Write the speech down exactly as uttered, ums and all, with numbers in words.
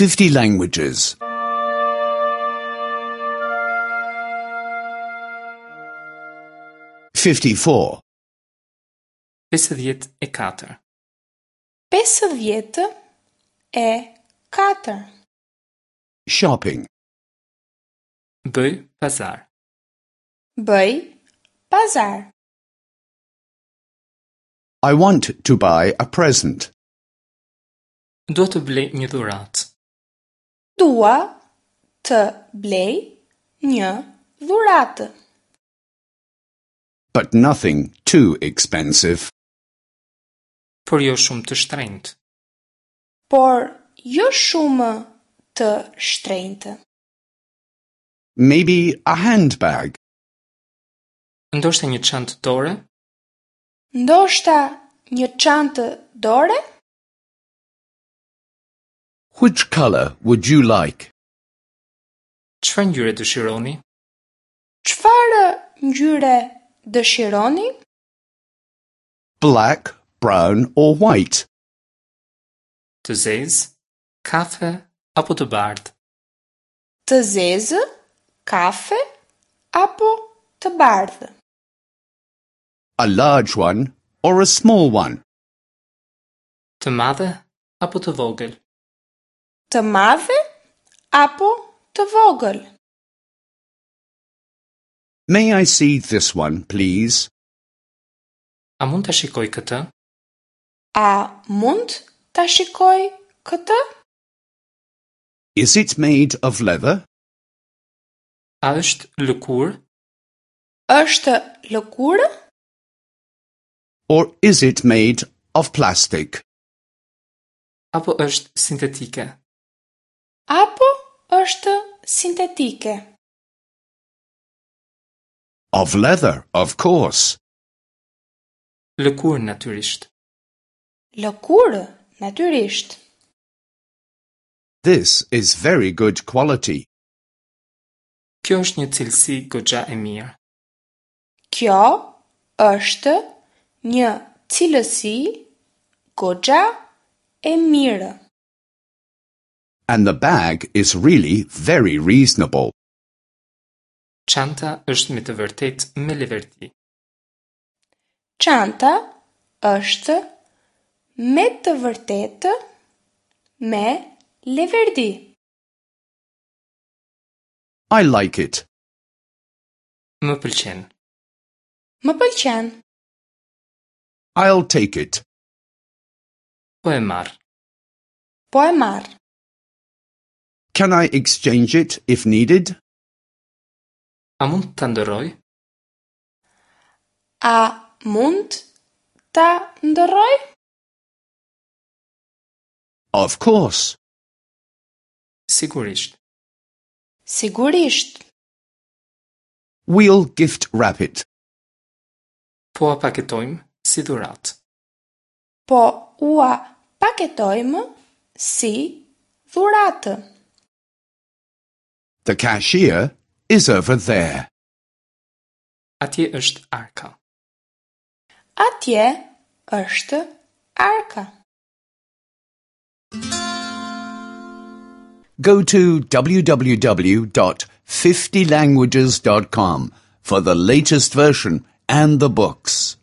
fifty languages. fifty-four. Pesëdhjetë e katër. Pesëdhjetë e katër. Shopping. Bëj pazar. Bëj pazar. I want to buy a present. Dua të blej një dhuratë. Dua të blej një dhuratë. But nothing too expensive. Por jo shumë të shtrenjtë. Por jo shumë të shtrenjtë. Maybe a handbag. Ndoshta një çantë dore? Ndoshta një çantë dore? Which color would you like? Çfarë ngjyre dëshironi? Çfarë ngjyre dëshironi? Black, brown or white? Të zezë, kafe apo të bardhë? Të zezë, kafe apo të bardhë? A large one or a small one? Të madhe apo të vogël? Të madhe apo të vogël? May I see this one, please? A mund ta shikoj këtë? A mund ta shikoj këtë? Is it made of leather? A është lëkurë? Është lëkurë? Or is it made of plastic? Apo është sintetike? Apo është sintetike? Of leather, of course. Lëkurë natyrisht. Lëkurë natyrisht. This is very good quality. Kjo është një cilësi goxha e mirë. Kjo është një cilësi goxha e mirë. And the bag is really very reasonable. Çanta është me të vërtetë me leverdi. Çanta është me të vërtetë me leverdi. I like it. Më pëlqen. Më pëlqen. I'll take it. Po e marr. Po e marr. Can I exchange it if needed? A mund ta ndërroj? A mund ta ndërroj? Of course. Sigurisht. Sigurisht. We'll gift wrap it. Po ua paketojmë si dhuratë. Po ua paketojmë si dhuratë. The cashier is over there. Atje është arka. Atje është arka. Go to w w w dot fifty languages dot com for the latest version and the books.